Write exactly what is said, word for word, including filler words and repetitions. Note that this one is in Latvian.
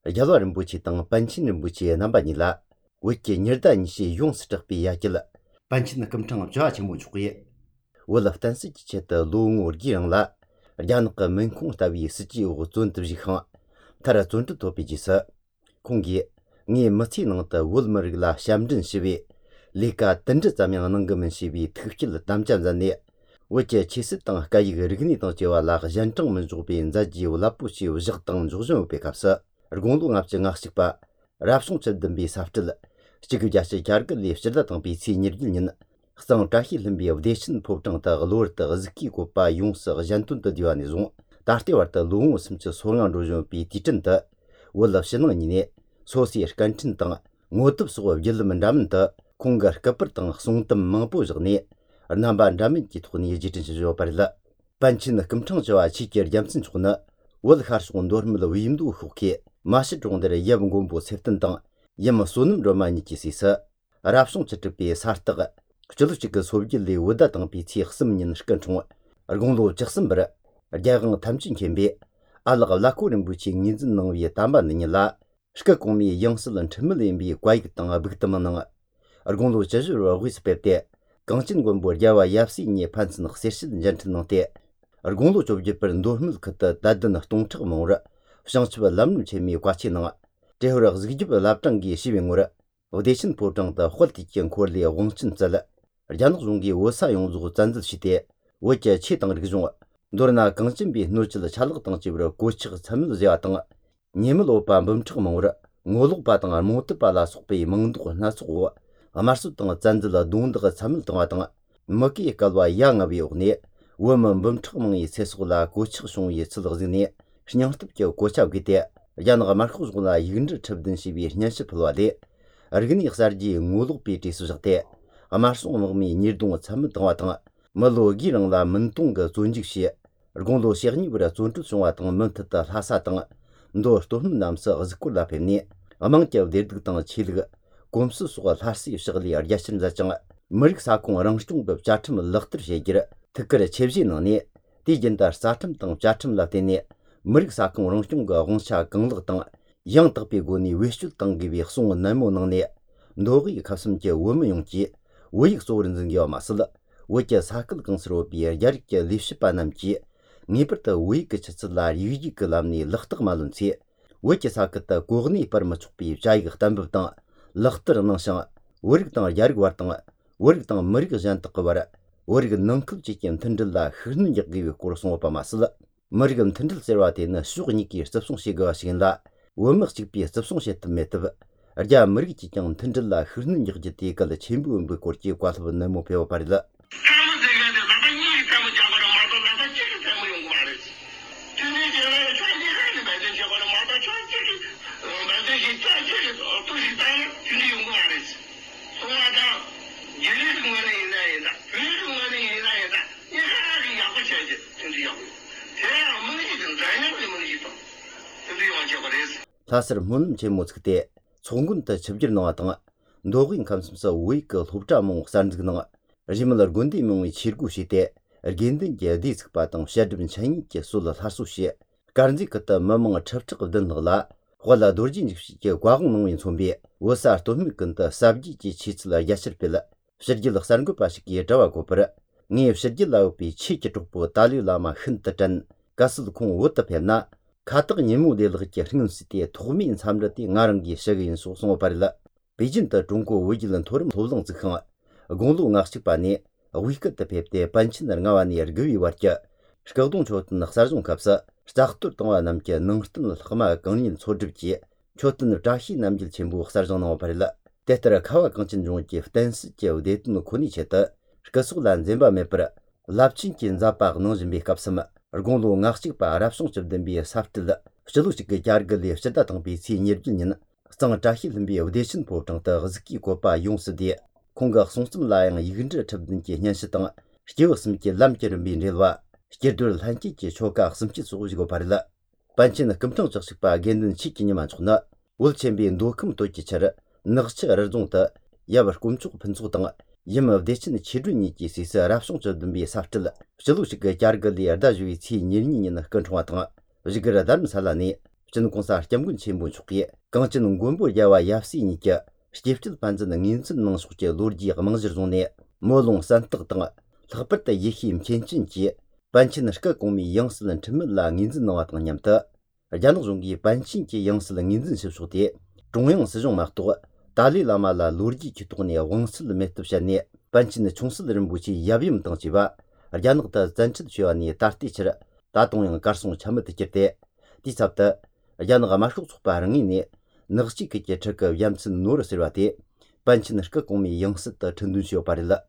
Yalwa rinpoche tang Panchin rinpoche namba nila, wiki nirda nishi yung sitakpi yakil, Panchin kamchang jwa chingmu chukye. Wala ftansi chichet loo ngur girangla, ryanaka menkung tabi siji ugu zun tabzi khang, tara zun tu topi jisa. Kongi, ngi matsi nangta wulmarigla shamdrin shibi, lika tanda zamyang nanggaman shibi tkikil damjam zane, wiki chisit tang kayiga rigni tang jewa lak zhanchang manzhugbi nzaji walapu shi wzhig tang zhugzhung upe kapsa. Rgonglu ngapchi ngakshikpa, rapshung chabdambi saftil, shigibjashi kyargali fshirda tangbi si nirgil nin, xsang chahi limbi wdeshin popchang ta gluwarta gziki gopa yungsa gzhantun ta diwani zung, darti warta lungu simchi solang ruzhung bi dichin ta, wala fshinang nini, sosi shkanchin tang, ngotib suwa wjil mandamin ta, kongar kapir tang xsungtam mangpo zhigni, namba ndamin ki tukhni yajichin shizho parila. Panchin kamchang jawa chikir yamtsin chukhna, wal kharshung dormila wiyimdu khukki, 마시 종들의 예분 공부 세튼 등 예마 소는 로마니 기시서 아랍송 쳇비 사르트가 그절치그 소비길리 오다 등 비치 흑심인 시간 중 얼공도 적심 버려 야강 탐진 캠비 알가 라코린 부치 닌진 능위에 담반니라 시가 공미 영슬은 첨물인비 과익 등 아빅드만능 얼공도 제주로 위스페테 강진 공부 야와 얍시니 판슨 흑세신 젠트능테 얼공도 조비पर 노흠을 그때 다든 동측 모라 상치바 람름 체미 과치능 제허럭 ዝግጅብ ላፕታንጊ 시빙우라 오데신 포정다 홀티견 콜리 원친 잘라 르잔 중기 오사 용주 잔즈 시대 오제 치당 르기중 노르나 강진비 노질 찰럭 당지브로 고치가 참을 제아당 님을 오빠 멈추고 먹으라 ngolug batang armut bala sukpe mangdu nasu amarsu tang zanzla dungda chamil tang tang maki kalwa yang abi ogni woman bumchmang yi sesula gochig shung yi chilgzini shnyangtib ge gochab gite yanga markhuz guna yingzhi chabdin shibi nyanshi pulwali argini xarji ngolug bi ti sujate amarsu ngmi nirdung chamil tang tang malo girang la mentung ge zonjig shi rgonglo shegni bura zonchu shungwa tang mentata hasa tang ndo stohum namsa azkula pemni amangjaw derdig tang chilg gomsu suga larsi shigli aryashim zachang mrik sakung rangshtung bab jachim lagtir shegir tikra chebji nani dijindar satim tang jachim lateni mrik sakung rangshtung ga gongsha ganglig tang yang tagbi goni weshul tang gibi xung namo nangni ndogi kapsim je wom yongji wayik sorin zingyo masl wajja sakil gangsro bi yarik lifshipa namji niperta wayik chatslar yiji kalamni lagtig malunsi wajja sakata gogni parma chukbi jayig tambib tang lagtir nangshang warig tang yarig war tang warig tang marig jantaq war warig nangkil jikim tindilla khirnin yaggi kurusung opa masl marigam tindil serwate na shugni ki sabsung shiga shigla womig chikbi sabsung shetim metib arja marig jikim tindilla khirnin yaggi ti kala chembu umbu korji kwalb namo pewa parila 사실 문음 제모스크때 총군다 접질 나왔던 노긴 감심서 우이크 롭자몽 산즈그는 리멀 군디 명의 칠구시대 알겐든 게디스크 바탕 샤드빈 차이니께 솔라 하수시 가른지 그때 머멍 첩첩거든 너라 홀라 도르진직시게 과공농인 손비 오사 도미근다 삽지지 치츠라 야실필 실질력 산고 바시기에 자와고퍼 니 실질라우비 치치쪽보 달리라마 흔트전 가스도 콩 오타페나 카트가 니무델르게 흥스티에 도민 삼르티 나랑기 셔긴 소송어 바릴라 베이징의 중국 외질은 토름 도정 즉흥 공루 낚시바니 위크트 펩테 반친을 나와니 여기 왔자 스카동 초튼 낚사중 갑사 스타크트 동안 남게 능스튼 흑마 강인 소집지 초튼 자시 남질 전부 흑사정 나와 바릴라 데트라 카와 강진 중기 댄스 제우데트는 코니 쳇다 스카수란 젬바 메프라 랍친 긴자바 능진비 갑스마 얼공로 낚시바 아랍송 접든비 사프틀 실루시게 자르글리 셔다 등비 시니르진 상 자힐름비 오데신 보정다 즈키 고바 용스디 공각 송슴라양 이근저 접든지 년시등 시지었음기 람케르비 릴와 시제들 한키키 초각 숨치 소고지고 바릴라 반치는 금통 적식바 겐든 치키니만 존나 울쳔비 노금 도치처럼 늑치 어르종다 야버 꿈축 분수등 이마 대신 치르니 지시스 아랍송 접든비 사프틀 실루시게 자르글리 아다주이 치 니르니는 근총화등 지그라 담살라니 진 공사 겸군 첨부 축기 강진 군부 야와 야시니께 스티프트 반즈는 인진능 숙제 로지 망지 존에 모롱 산득 등 럭버때 예힘 켄진지 반친의 그 공미 영스는 전문라 인진능 왔던 냠다 야는 종기 반친지 영스는 인진 수수대 중앙 스종 막도 달리라마라 로지 기토네 원슬 메트샤네 반친의 총슬들은 무지 야빔 등지바 야는다 잔치 주안이 다티치라 다동영 가르송 참을 때 디sabda 야나가 마슈 속바랑이니 너치 그게 저거 얌슨 노르스르와티 반친르크 공미 영스다 전두시오 바릴라